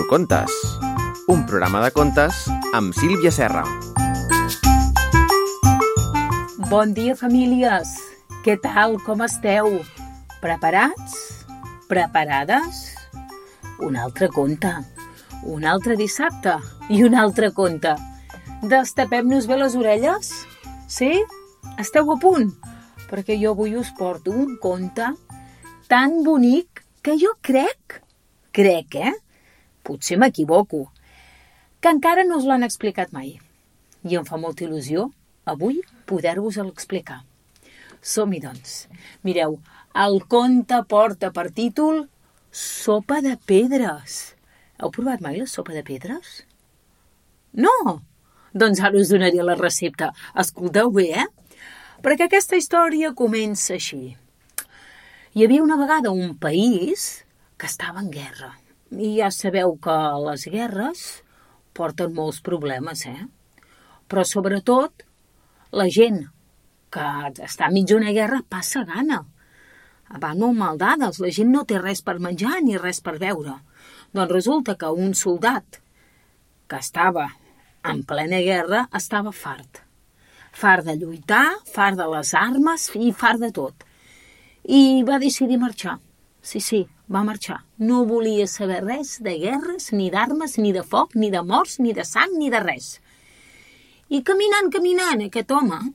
Contes, un programa de contes amb Sílvia Serra. Bon dia, famílies! Què tal? Com esteu? Preparats? Preparades? Un altre conte, un altre dissabte i un altre conte. Destapem-nos bé les orelles? Sí? Esteu a punt? Perquè jo avui us porto un conte tan bonic que jo crec, potser m'equivoco, que encara no us l'han explicat mai. I em fa molta il·lusió avui poder-vos-el explicar. Som-hi, doncs. Mireu, el conte porta per títol Sopa de pedres. Heu provat mai la sopa de pedres? No? Doncs ara us donaré la recepta. Escolteu bé, Perquè aquesta història comença així. Hi havia una vegada un país que estava en guerra. I ja sabeu que les guerres porten molts problemes, Però sobretot la gent que està enmig d'una guerra passa gana. Van molt maldades, la gent no té res per menjar ni res per beure. Doncs resulta que un soldat que estava en plena guerra estava fart. Fart de lluitar, fart de les armes i fart de tot. I va decidir marxar. Sí, va marxar. No volia saber res de guerres, ni d'armes, ni de foc, ni de morts, ni de sang, ni de res. I caminant, aquest home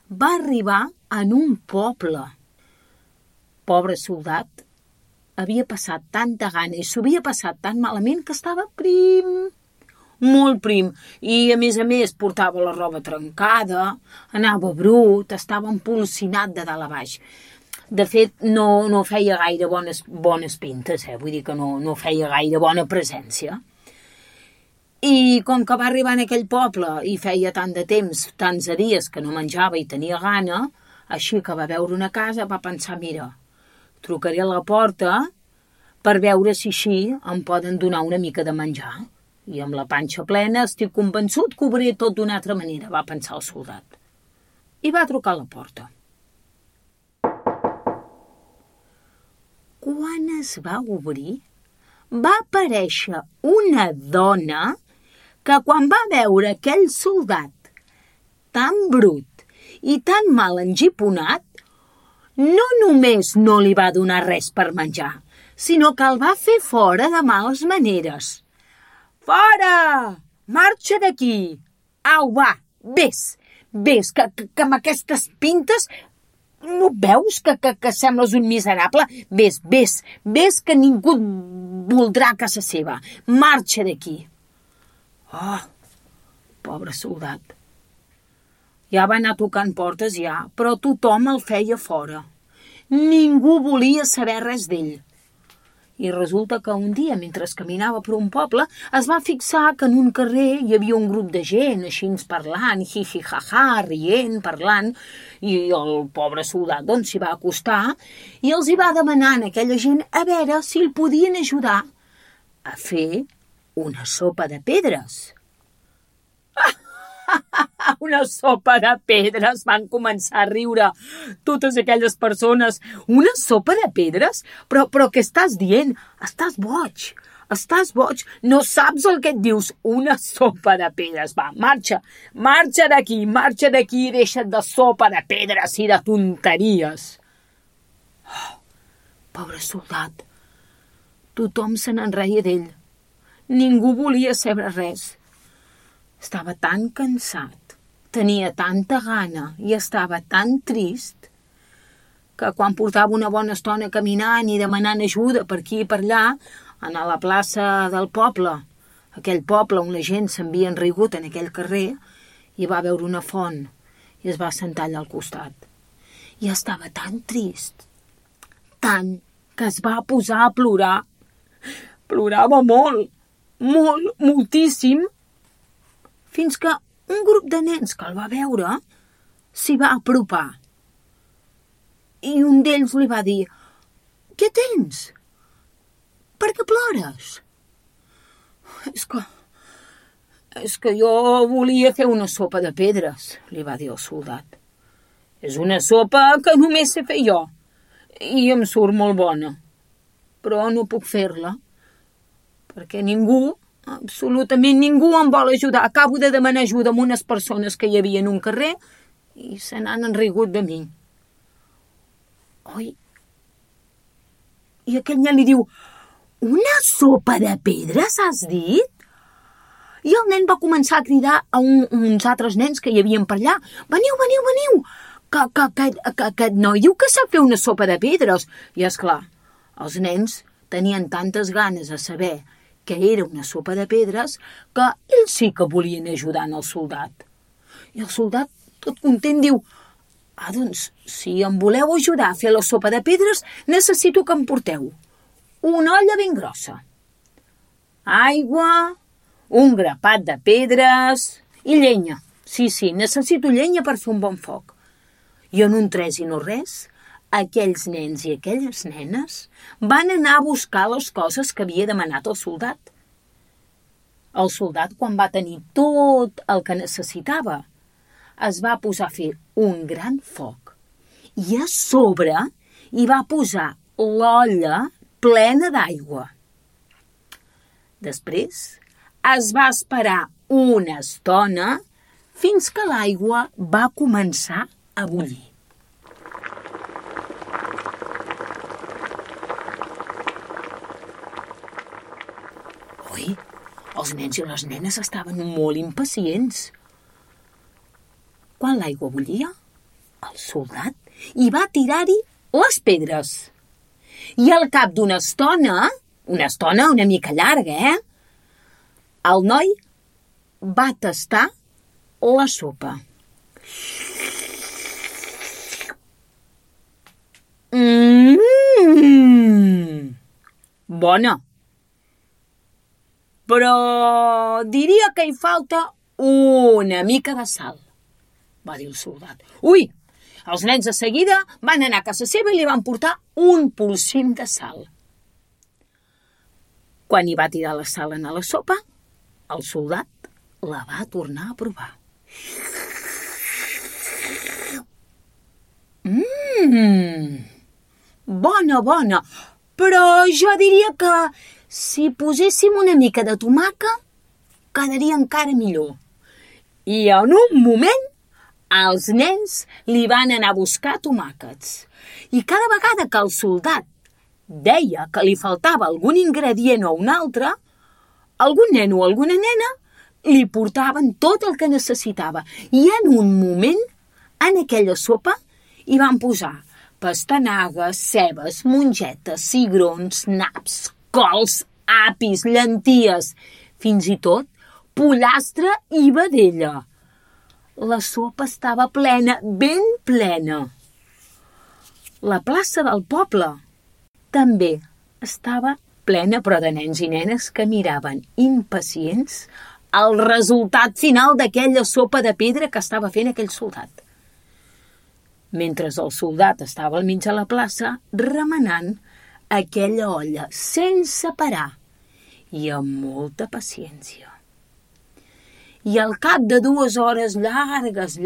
va arribar en un poble. Pobre soldat, havia passat tanta gana i s'ho havia passat tan malament que estava prim, molt prim. I, a més, portava la roba trencada, anava brut, estava empolsinat de dalt a baix. De fet, no feia gaire bones pintes, Vull dir que no feia gaire bona presència. I com que va arribar en aquell poble i feia tant de temps, tants de dies que no menjava i tenia gana, així que va veure una casa, va pensar, mira, trucaré a la porta per veure si així em poden donar una mica de menjar. I amb la panxa plena estic convençut que ho veuré tot d'una altra manera, va pensar el soldat. I va trucar a la porta. Quan es va obrir, va aparèixer una dona que quan va veure aquell soldat tan brut i tan mal engiponat, no només no li va donar res per menjar, sinó que el va fer fora de males maneres. Fora! Marxa d'aquí! Au, va, vés, que amb aquestes pintes no veus que sembles un miserable? Vés, que ningú et voldrà a casa seva. Marxa d'aquí. Oh, pobre soldat. Ja va anar tocant portes, però tothom el feia fora. Ningú volia saber res d'ell. I resulta que un dia, mentre caminava per un poble, es va fixar que en un carrer hi havia un grup de gent, així parlant, hi-hi-ha-ha, rient, parlant, i el pobre soldat s'hi va acostar i els hi va demanar a aquella gent a veure si el podien ajudar a fer una sopa de pedres. Una sopa de pedres, van començar a riure totes aquelles persones. Una sopa de pedres? Però què estàs dient? Estàs boig, no saps el que et dius. Una sopa de pedres, va, marxa d'aquí i deixa't de sopa de pedres i de tonteries. Oh, pobre soldat, tothom se n'enreia d'ell. Ningú volia saber res. Estava tan cansat, tenia tanta gana i estava tan trist que quan portava una bona estona caminant i demanant ajuda per aquí i per allà, a la plaça del poble, aquell poble on la gent s'havia enrigut en aquell carrer, i va veure una font i es va sentar allà al costat. I estava tan trist, tant, que es va posar a plorar. Plorava moltíssim, fins que un grup de nens que el va veure s'hi va apropar. I un d'ells li va dir, què tens? Per què plores? És que jo volia fer una sopa de pedres, li va dir el soldat. És una sopa que només sé fer jo i em surt molt bona, però no puc fer-la perquè ningú, absolutament ningú em vol ajudar. Acabo de demanar ajuda a unes persones que hi havia en un carrer i se n'han enrigut de mi. Oi? I aquell nen li diu, una sopa de pedres, has dit? I el nen va començar a cridar a uns altres nens que hi havien per allà. Veniu, veniu, veniu! Que aquest noi diu que sap fer una sopa de pedres. I esclar, els nens tenien tantes ganes de saber que era una sopa de pedres que ells sí que volien ajudar el soldat. I el soldat, tot content, diu, doncs, si em voleu ajudar a fer la sopa de pedres, necessito que em porteu una olla ben grossa, aigua, un grapat de pedres i llenya. Sí, necessito llenya per fer un bon foc. I en un tres i no res, aquells nens i aquelles nenes van anar a buscar les coses que havia demanat el soldat. El soldat, quan va tenir tot el que necessitava, es va posar a fer un gran foc i a sobre hi va posar l'olla plena d'aigua. Després es va esperar una estona fins que l'aigua va començar a bullir. Ui, els nens i les nenes estaven molt impacients. Quan l'aigua bullia, el soldat hi va tirar-hi les pedres. I al cap d'una estona una mica llarga, el noi va tastar la sopa. Bona. Però diria que hi falta una mica de sal, va dir el soldat. Ui! Els nens de seguida van anar a casa seva i li van portar un polsim de sal. Quan hi va tirar la sal a la sopa, el soldat la va tornar a provar. Bona, però jo diria que si poséssim una mica de tomàquet, quedaria encara millor. I en un moment els nens li van anar a buscar tomàquets. I cada vegada que el soldat deia que li faltava algun ingredient o un altre, algun nen o alguna nena li portaven tot el que necessitava. I en un moment, en aquella sopa, hi van posar pastanagues, cebes, mongetes, cigrons, naps, cols, apis, llenties, fins i tot pollastre i vedella. La sopa estava plena, ben plena. La plaça del poble també estava plena, però de nens i nenes que miraven impacients el resultat final d'aquella sopa de pedra que estava fent aquell soldat. Mentre el soldat estava al mig de la plaça remenant aquella olla sense parar i amb molta paciència. I al cap de 2 hores llargues,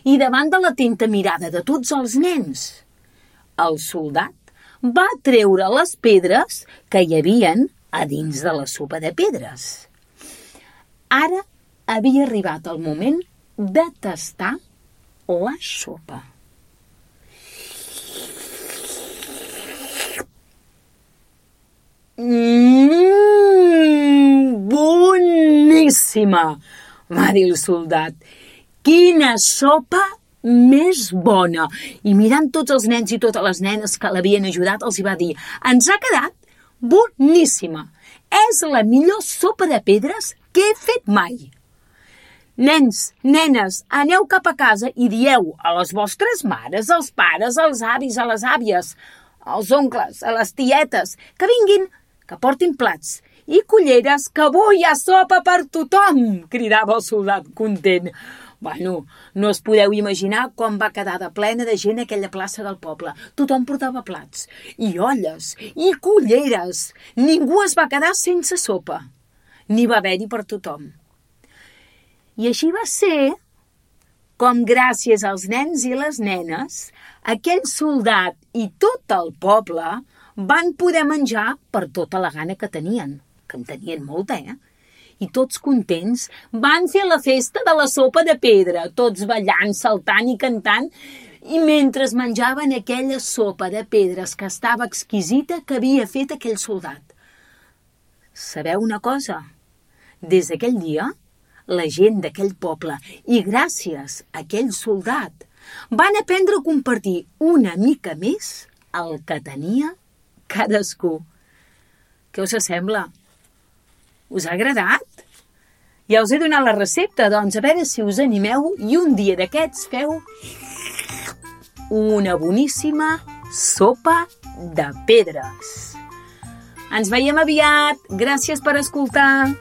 i davant de l'atenta mirada de tots els nens, el soldat va treure les pedres que hi havien a dins de la sopa de pedres. Ara havia arribat el moment de tastar la sopa. Boníssima, va dir el soldat. Quina sopa més bona! I mirant tots els nens i totes les nenes que l'havien ajudat, els hi va dir, ens ha quedat boníssima. És la millor sopa de pedres que he fet mai. Nens, nenes, aneu cap a casa i dieu a les vostres mares, als pares, als avis, a les àvies, als oncles, a les tietes, que vinguin, que portin plats i culleres, que avui hi ha sopa per tothom, cridava el soldat content. Bueno, no us podeu imaginar com va quedar de plena de gent aquella plaça del poble. Tothom portava plats, i olles, i culleres. Ningú es va quedar sense sopa. N'hi va haver-hi per tothom. I així va ser com, gràcies als nens i les nenes, aquell soldat i tot el poble van poder menjar per tota la gana que tenien, que en tenien molta, I tots contents van fer la festa de la sopa de pedra, tots ballant, saltant i cantant, i mentre menjaven aquella sopa de pedres que estava exquisita que havia fet aquell soldat. Sabeu una cosa? Des d'aquell dia, la gent d'aquell poble, i gràcies a aquell soldat, van aprendre a compartir una mica més el que tenia cadascú. Què us sembla? Us ha agradat? Ja us he donat la recepta, doncs a veure si us animeu i un dia d'aquests feu una boníssima sopa de pedres. Ens veiem aviat. Gràcies per escoltar.